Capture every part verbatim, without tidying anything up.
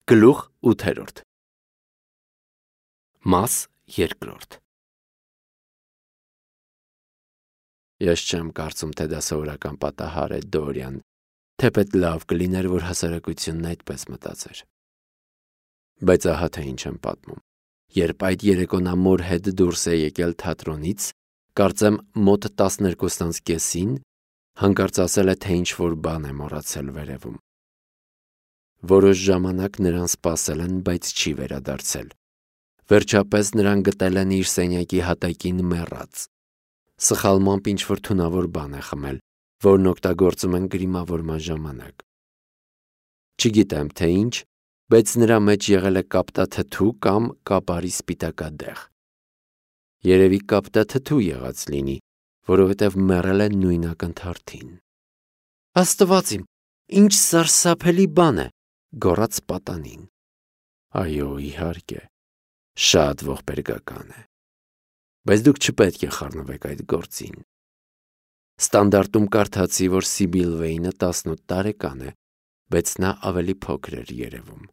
Գլուխ ութերորդ Մաս երկրորդ Ես չեմ կարծում, թե դա սովորական պատահար է, Դորիան, թեպետ լավ կլիներ, որ հասարակությունն այդպես մտածեր։ Բայց ահա թե ինչ եմ պատմում։ Երբ այդ երեկո նա մոր հետ դուրս է եկել թատրոնից, կարծեմ մոտ տասներկուս անց կեսին, հանկարծ ասել է, թե ինչ-որ բան է մոռացել վերևում։ Որոշ ժամանակ նրան սպասել են, բայց չի վերադարձել։ Վերջապես նրան գտել են իր սենյակի հատակին մեռած։ Սխալմամբ ինչ-որ թունավոր բան է խմել, որն օգտագործում են գրիմավորման ժամանակ։ Չգիտեմ, թե ինչ, բայց նրա մեջ եղել է կապտաթթու կամ կապարի սպիտակադեղ։ Երևի կապտաթթու եղած լինի, որովհետև մեռել է նույն ակնթարթին։ Աստված իմ, ինչ սարսափելի բան է, գոռաց պատանին։ Այո, իհարկե, շատ ողբերգական է։ Բայց դուք չպետք է խառնվեք այդ գործին։ Ստանդարտում կարդացի, որ Սիբիլ Վեյնը տասնութ տարեկան է, բայց նա ավելի փոքր էր երևում։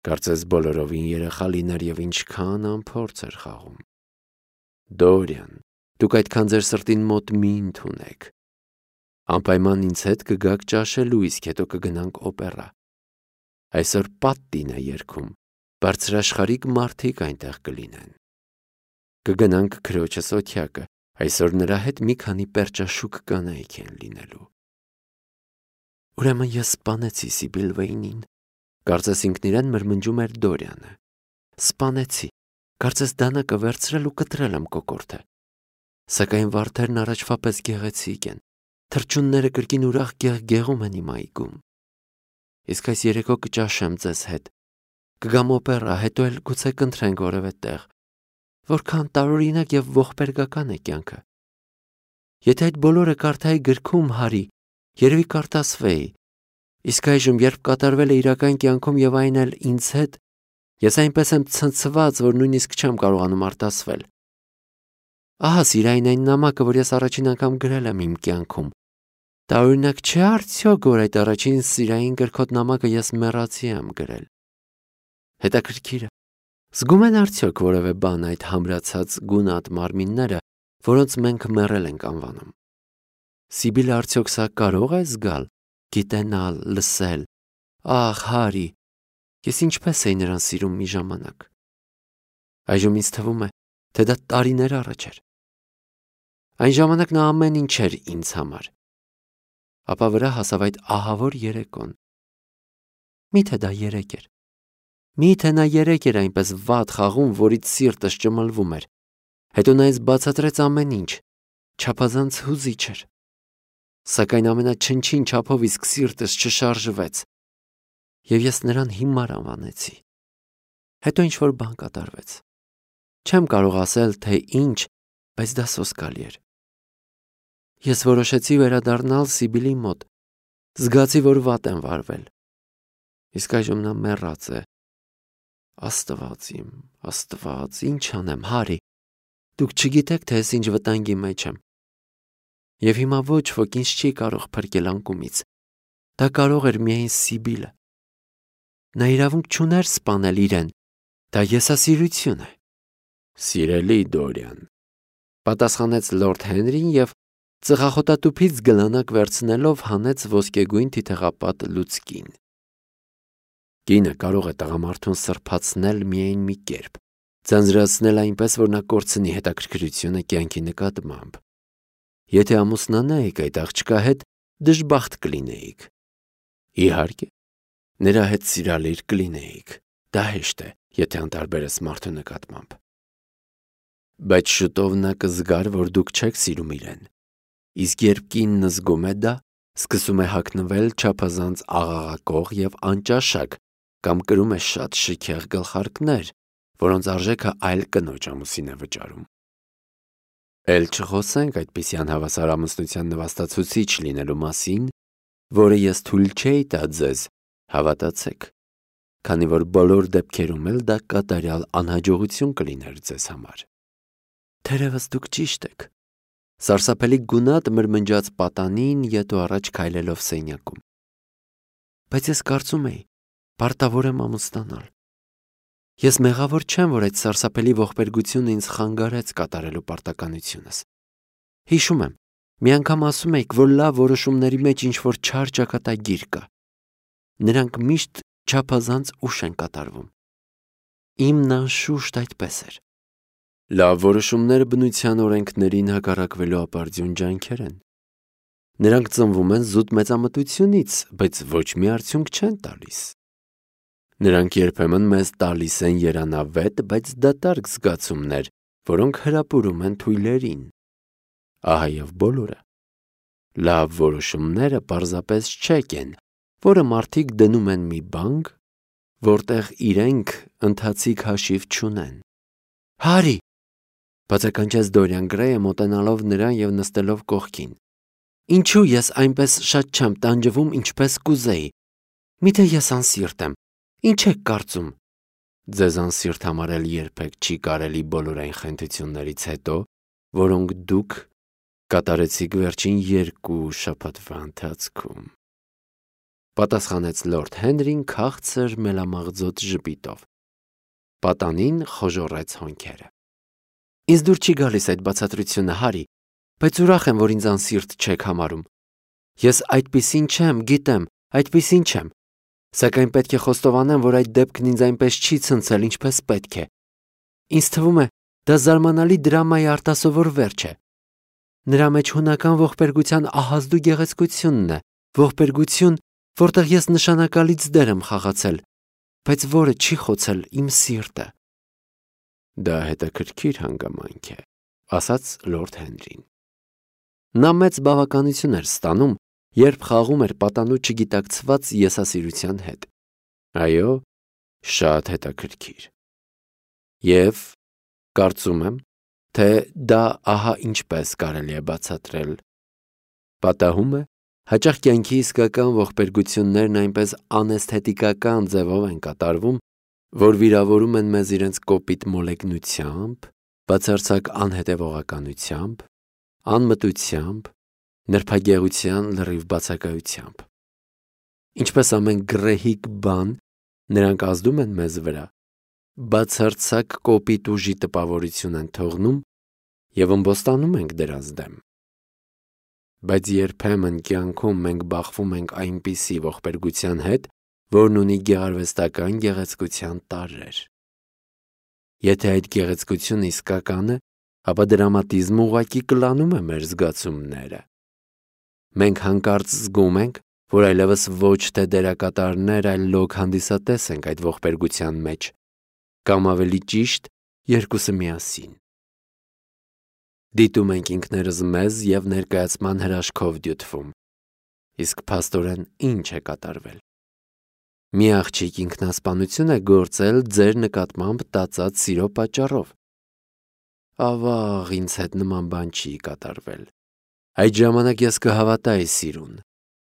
Կարծես բոլորովին երեխա լիներ և ինչքան անփորձ էր խաղում։ Դորիան, դուք այդքան ձեր սրտին մոտ մի ընդունեք։ Անպայման ինձ հետ կգաք ճաշելու, իսկ հետո կգնանք օպերա։ Այսօր Պատտին է երգում, բարձրաշխարհիկ մարդիկ այնտեղ կլինեն։ Կգնանք քրոջս օթյակը, այսօր նրա հետ մի քանի պերճաշուք կանայք են լինելու։ Ուրեմն ես սպանեցի Սիբիլ Վեյնին, կարծես ինքն իրեն մրմնջում էր Դորիանը։ Սպանեցի, կարծես դանակը վերցրել ու կտրել եմ կոկորդը։ Սակայն վարդերն առաջվա պես գեղեցիկ են, թռչունները կրկին ուրախ գեղգեղում են իմ այգում։ Իսկ այս երեկո կճաշեմ ձեզ հետ, կգամ օպերա, հետո էլ գուցե կընտրենք որևէ տեղ։ Որքան տարօրինակ և ողբերգական է կյանքը։ Եթե այդ բոլորը կարդայի գրքում, Հարի, երևի կարտասվեի։ Իսկ այժմ, երբ կատարվել է իրական կյանքում և այն էլ ինձ հետ, ես այնպես եմ ցնցված, որ նույնիսկ չեմ կարողանում արտասվել։ Ահա սիրային այն նամակը, որ ես առաջին անգամ գրել եմ իմ կյանքում։ Տարօրինակ չէ՞ արդյոք, որ այդ առաջին սիրային գրքոտ նամակը ես մեռածի եմ գրել։ Հետաքրքիր է, զգում են արդյոք որևէ բան այդ համրացած գունատ մարմինները, որոնց մենք մեռել ենք անվանում։ Սիբիլը արդյոք սա կարող է զգալ, գիտենալ, լսել։ Ախ, Հարի, ես ինչպես էի նրան սիրում մի ժամանակ։ Այժմ ինձ թվում է, թե դա տարիներ առաջ էր։ Այն ժամանակ նա ամեն ինչ էր ինձ համար։ Ապա վրա հասավ այդ ահավոր երեկոն։ Միթե դա երեկ էր։ Միթե նա երեկ էր այնպես վատ խաղում, որից սիրտս ճմլվում էր։ Հետո նա ինձ բացատրեց ամեն ինչ, չափազանց հուզիչ էր։ Սակայն ամենաչնչին չափով իսկ սիրտս չշարժվեց։ Եվ ես նրան հիմար անվանեցի։ Հետո ինչ-որ բան կատարվեց։ Չեմ կարող ասել, թե ինչ, բայց դա սոսկալի էր։ Ես որոշեցի վերադառնալ Սիբիլի մոտ, զգացի, որ վատ եմ վարվել։ Իսկ այժմ նա մեռած է։ Աստված իմ, Աստված, ինչ անեմ, Հարի, դուք չգիտեք, թե ես ինչ վտանգի մեջ եմ։ Եվ հիմա ոչ ոք ինձ չի կարող փրկել անկումից։ Դա կարող էր միայն Սիբիլը։ Նա իրավունք չուներ սպանել իրեն։ Դա եսասիրություն է։ Սիրելի Դորիան, պատասխանեց լորդ Հենրին և ծխախոտատուփից գլանակ վերցնելով հանեց ոսկեգույն թիթեղապատ լուցկին։ Կինը կարող է տղամարդուն սրբացնել միայն մի կերպ, ձանձրացնել այնպես, որ նա կորցնի հետաքրքրությունը կյանքի նկատմամբ։ Եթե ամուսնանայիք այդ աղջկա հետ, դժբախտ կլինեիք։ Իհարկե, նրա հետ սիրալիր կլինեիք։ Դա հեշտ է, եթե անտարբեր ես մարդու նկատմամբ։ Բայց շուտով նա կզգար, որ դուք չեք սիրում իրեն։ Իսկ երբ կինն զգում է դա, սկսում է հագնվել չափազանց աղաղակող և անճաշակ կամ կրում է շատ շքեղ գլխարկներ, որոնց արժեքը այլ կնոջ ամուսին է վճարում։ Էլ չխոսենք այդպիսի անհավասար ամուսնության նվաստացուցիչ լինելու մասին, որը ես թույլ չէի տա ձեզ, հավատացեք, քանի որ բոլոր դեպքերում էլ դա կատարյալ անհաջողություն կլիներ ձեզ համար։ Թերևս դուք ճիշտ եք, սարսափելի գունատ մրմնջաց պատանին ետո առաջ քայլելով սենյակում։ Բայց ես կարծում էի, Պարտավոր եմ ամուսնանալ։ Ես մեղավոր չեմ, որ այդ սարսափելի ողբերգությունը ինձ խանգարեց կատարելու պարտականությունս։ Հիշում եմ, մի անգամ ասում էիք, որ լավ որոշումների մեջ ինչ-որ չար ճակատագիր կա։ Նրանք միշտ չափազանց ուշ են կատարվում։ Իմն անշուշտ այդպես էր։ Լավ որոշումները բնության օրենքներին հակառակվելու ապարդյուն ջանքեր են։ Նրանք ծնվում են զուտ մեծամտությունից, բայց ոչ մի արդյունք չեն տալիս։ Նրանք երբեմն մեզ տալիս են երանավետ, բայց դատարկ զգացումներ, որոնք հրապուրում են թույլերին։ Ահա և բոլորը։ Լավ որոշումները պարզապես չեկ են, որը մարդիկ դնում են մի բանկ, որտեղ իրենք ընթացիկ հաշիվ չունեն։ Հարի, բացականչեց Դորիան Գրեյը մոտենալով նրան և նստելով կողքին։ Ինչու ես այնպես շատ չեմ տանջվում, ինչպես կուզեի։ Միթե ես անսիրտ եմ։ Ինչ եք կարծում։ Ձեզ անսիրտ համարել երբեք չի կարելի բոլոր այն խենթություններից հետո, որոնք դուք կատարեցիք վերջին երկու շաբաթվա ընթացքում։ Պատասխանեց լորդ Հենրին քաղցր մելամաղձոտ ժպիտով։ Պատանին խոժոռեց հոնքերը։ Ինձ դուր չի գալիս այդ բացատրությունը, Հարի, բայց ուրախ եմ, որ ինձ անսիրտ չեք համարում։ Ես այդպիսին չեմ, գիտեմ, այդպիսին չեմ։ Սակայն պետք է խոստովանեմ, որ այդ դեպքն ինձ այնպես չի ցնցել, ինչպես պետք է։ Ինձ թվում է, դա զարմանալի դրամայի արտասովոր վերջ է։ Նրա մեջ հունական ողբերգության ահազդու գեղեցկությունն է, ողբերգություն, որտեղ ես նշանակալից դեր եմ խաղացել, բայց որը չի խոցել իմ սիրտը։ Դա հետաքրքիր հանգամանք է, ասաց լորդ Հենրին։ Նա մեծ բավականություն էր ստանում, երբ խաղում էր պատանու չգիտակցված եսասիրության հետ։ Այո, շատ հետաքրքիր։ Եվ կարծում եմ, թե դա ահա ինչպես կարելի է բացատրել։ Պատահում է, հաճախ կյանքի իսկական ողբերգություններն այնպես անէսթետիկական ձևով են կատարվում, որ վիրավորում են մեզ իրենց կոպիտ մոլեգնությամբ, բացարձակ անհետևողականությամբ, անմտությամբ, նրբագեղության լրիվ բացակայությամբ։ Ինչպես ամեն գռեհիկ բան, նրանք ազդում են մեզ վրա, բացարձակ կոպիտ ուժի տպավորություն են թողնում և ըմբոստանում ենք դրանց դեմ։ Բայց երբեմն կյանքում մենք բախվում ենք այնպիսի ողբերգության հետ, որն ունի գեղարվեստական գեղեցկության տարրեր։ Եթե այդ գեղեցկությունը իսկական է, ապա դրամատիզմը ուղղակի կլանում է մեր զգացումները։ Մենք հանկարծ զգում ենք, որ այլևս ոչ թե դերակատարներ, այլ լոկ հանդիսատես ենք այդ ողբերգության մեջ, կամ ավելի ճիշտ, երկուսը միասին։ Դիտում ենք ինքներս մեզ և ներկայացման հրաշքով դյութվում։ Իսկ փաստորեն ինչ է կատարվել։ Մի աղջիկ ինքնասպանություն է գործել ձեր նկատմամբ տածած սիրո պատճառով։ Ավաղ, ինձ հետ նման բան չի կատարվել։ Այդ ժամանակ ես կհավատայի սիրուն,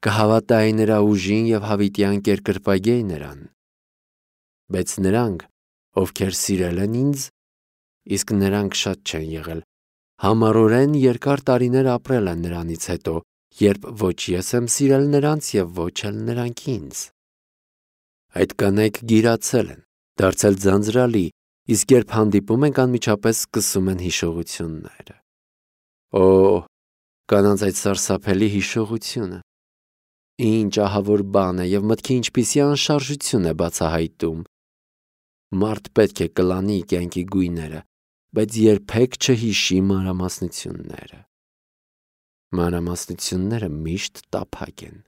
կհավատայի նրա ուժին և հավիտյան կերկրպագեի նրան։ Բայց նրանք, ովքեր սիրել են ինձ, իսկ նրանք շատ չեն եղել, համառորեն երկար տարիներ ապրել են նրանից հետո, երբ ոչ ես եմ սիրել նրանց և ոչ էլ նրանք ինձ։ Այդ կանայք գիրացել են, դարձել ձանձրալի, իսկ երբ հանդիպում ենք, անմիջապես սկսում են հիշողությունները։ Օ, կանանց այդ սարսափելի հիշողությունը։ Ինչ ահավոր բան է և մտքի ինչպիսի անշարժություն է բացահայտում։ Մարդ պետք է կլանի կյանքի գույները, բայց երբեք չհիշի մանրամասնությունները։ Մանրամասնությունները միշտ տափակ են։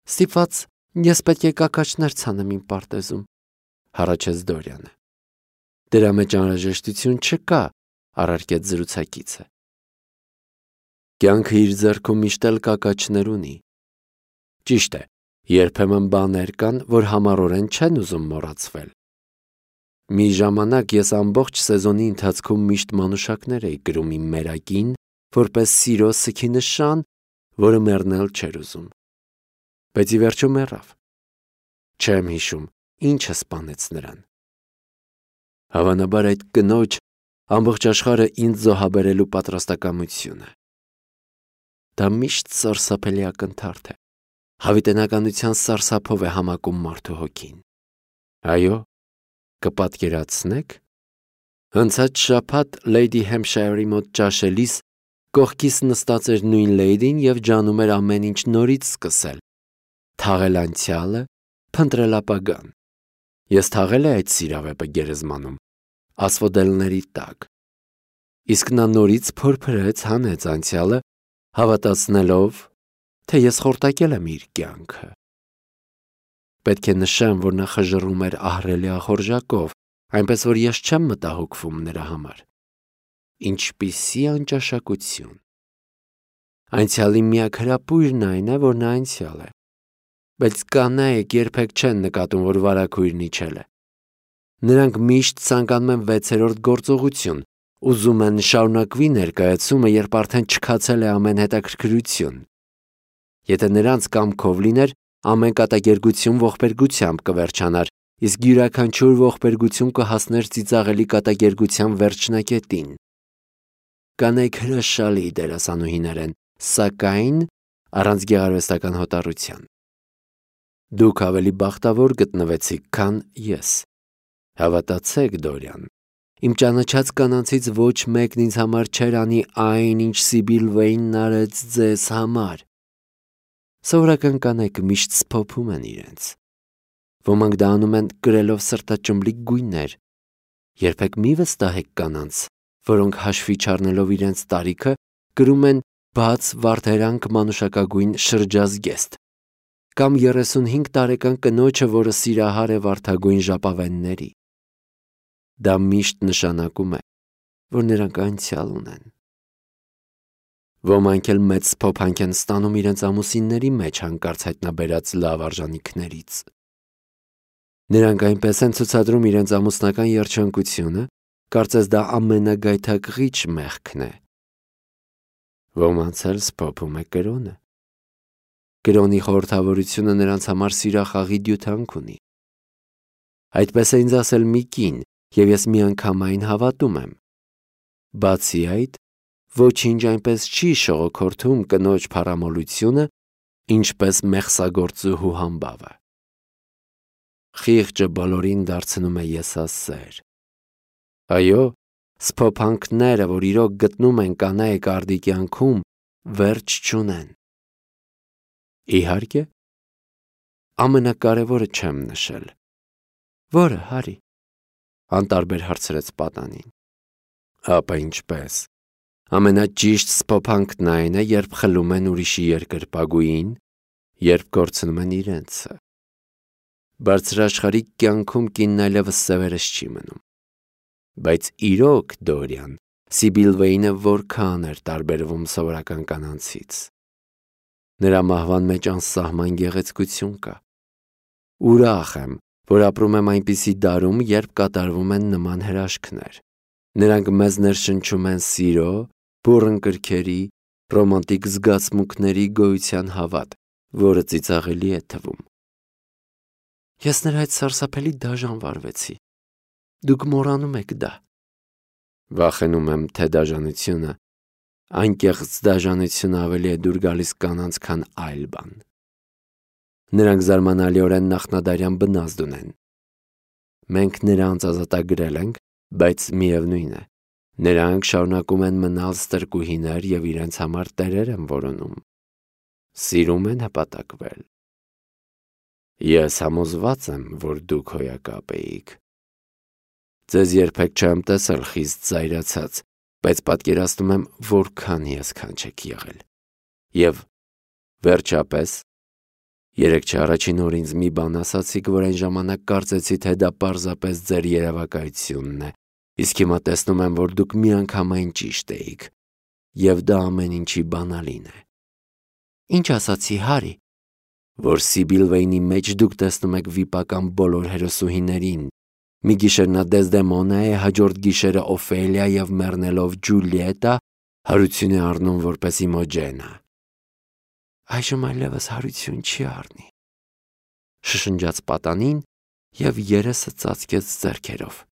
Ստիպված ես պետք է կակաչներ ցանեմ իմ պարտեզում, հառաչեց Դորիանը։ Դրա մեջ անհրաժեշտություն չկա, առարկեց զրուցակիցը։ Կյանքը իր ձեռքում միշտ էլ կակաչներ ունի։ Ճիշտ է, երբեմն բաներ կան, որ համառորեն չեն ուզում մոռացվել։ Մի ժամանակ ես ամբողջ սեզոնի ընթացքում միշտ մանուշակներ էի գրում իմ մերակին, որպես սիրո սգի նշան, որը մեռնել չէր ուզում։ Բայց ի վերջո մեռավ։ Չեմ հիշում, ինչը սպանեց նրան։ Հավանաբար այդ կնոջ ամբողջ աշխարհը ինձ զոհաբերելու պատրաստակամությունը։ Դա միշտ սարսափելի ակնթարթ է։ Հավիտենականության սարսափով է համակում մարդու հոգին։ Այո, կպատկերացնեք։ Հնցած շաբաթ Լեյդի Հեմփշայրի մոտ ճաշելիս կողքիս նստած էր նույն լեյդին և ջանում էր ամեն ինչ նորից սկսել, թաղել անցյալը, փնտրել ապագան։ Ես թաղել էի այդ սիրավեպը գերեզմանում, ասֆոդելների տակ, իսկ նա նորից փորփրեց, հանեց անցյալը, հավատացնելով, թե ես խորտակել եմ իր կյանքը։ Պետք է նշեմ, որ նա խժռում էր ահռելի ախորժակով, այնպես որ ես չեմ մտահոգվում նրա համար։ Ինչպիսի անճաշակություն։ Անցյալի միակ հրապույրն այն է, որ նա անցյալ է, բայց կանայք երբեք չեն նկատում, որ վարագույրն իջել է։ Նրանք միշտ ցանկանում են վեցերորդ գործողություն, ուզում են շարունակվի ներկայացումը, երբ արդեն չքացել է ամեն հետաքրքրություն։ Եթե նրանց կամքով լիներ, ամեն կատակերգություն ողբերգությամբ կվերջանար, իսկ յուրաքանչյուր ողբերգություն կհասներ ծիծաղելի կատակերգության վերջնակետին։ Կանայք հրաշալի դերասանուհիներ են, սակայն առանց գեղարվեստական հոտառության։ Դուք ավելի բախտավոր գտնվեցիք, քան ես։ Հավատացեք, Դորիան, իմ ճանաչած կանանցից ոչ մեկն ինձ համար չէր անի այն, ինչ Սիբիլ Վեյնն արեց ձեզ համար։ Սովորական կանայք միշտ սփոփում են իրենց։ Ոմանք դա անում են կրելով սրտաճմլիկ գույներ։ Երբեք մի վստահեք կանանց, որոնք հաշվի չառնելով իրենց տարիքը, կրում են բաց վարդերանք մանուշակագույն շրջազգեստ, կամ երեսունհինգ տարեկան կնոջը, որը սիրահար է վարդագույն ժապավենների։ Դա միշտ նշանակում է, որ նրանք անցյալ ունեն։ Ոմանք էլ մեծ սփոփանք են ստանում իրենց ամուսինների մեջ հանկարծ հայտնաբերած լավ արժանիքներից։ Նրանք այնպես են ցուցադրում իրենց ամուսնական երջանկությունը, կարծես դա ամենագայթակղիչ մեղքն է։ Ոմանց էլ սփոփում է կրոնը։ Կրոնի խորհրդավորությունը նրանց համար սիրախաղի դյութանք ունի։ Այդպես է ինձ ասել մի կին, և ես միանգամայն հավատում եմ։ Բացի այդ, ոչինչ այնպես չի շողոքորթում կնոջ փառամոլությունը, ինչպես մեղսագործուհու համբավը։ Խիղճը բոլորին դարձնում է եսասեր։ Այո, սփոփանքները, որ իրոք գտնում են կանայք արդի կյանքում, վերջ չունեն։ Իհարկե, ամենակարևորը չեմ նշել։ Որը, Հարի, անտարբեր հարցրեց պատանին։ Ապա ինչպես։ Ամենաճիշտ սփոփանքն այն է, երբ խլում են ուրիշի երկրպագուին, երբ կորցնում են իրենցը։ Բարձրաշխարհիկ կյանքում կինն այլևս սևերս չի մնում։ Բայց իրոք, Դորիան, Սիբիլ Վեյնը որքան էր տարբերվում սովորական կանանցից։ Նրա մահվան մեջ անսահման գեղեցկություն կա։ Ուրախ եմ, որ ապրում եմ այնպիսի դարում, երբ կատարվում են նման հրաշքներ։ Նրանք մեզ ներշնչում են սիրո, բուռն կրքերի, ռոմանտիկ զգացմունքների գոյության հավատ, որը ծիծաղելի է թվում։ Ես նրա հետ սարսափելի դաժան վարվեցի։ Դուք մոռանում եք դա։ Վախենում եմ, թե դաժանությունը, անկեղծ դաժանությունը ավելի է դուր գալիս կանանց, քան այլ բան։ Նրանք զարմանալիորեն նախնադարյան բնազդ ունեն։ Մենք նրանց ազատագրել ենք, բայց միևնույն է, նրանք շարունակում են մնալ ստրկուհիներ և իրենց համար տերեր են որոնում։ Սիրում են հպատակվել։ Ես համոզված եմ, որ դուք հոյակապ էիք։ Ձեզ երբեք չեմ տեսել խիստ զայրացած, բայց պատկերացնում եմ, որքան հիասքանչ եք եղել։ Եվ վերջապես, երեկ չառաջին օր ինձ մի բան ասացիք, որ այն ժամանակ կարծեցի, թե դա պարզապես ձեր երևակայությունն է, իսկ հիմա տեսնում եմ, որ դուք միանգամայն ճիշտ էիք, և դա ամեն ինչի բանալին է։ Ինչ ասացի, Հարի։ Որ Սիբիլ Վեյնի մեջ դուք տեսնում եք վիպական բոլոր հերոսուհիներին, մի գիշեր նա Դեզդեմոնա է, հաջորդ գիշերը Օֆելիա և մեռնելով Ջուլիետա հարություն է առնում որպես Իմոջենը։ Այժմ այլևս հարություն չի առնի, շշնջաց պատանին և երեսը ծածկեց ձեռքերով։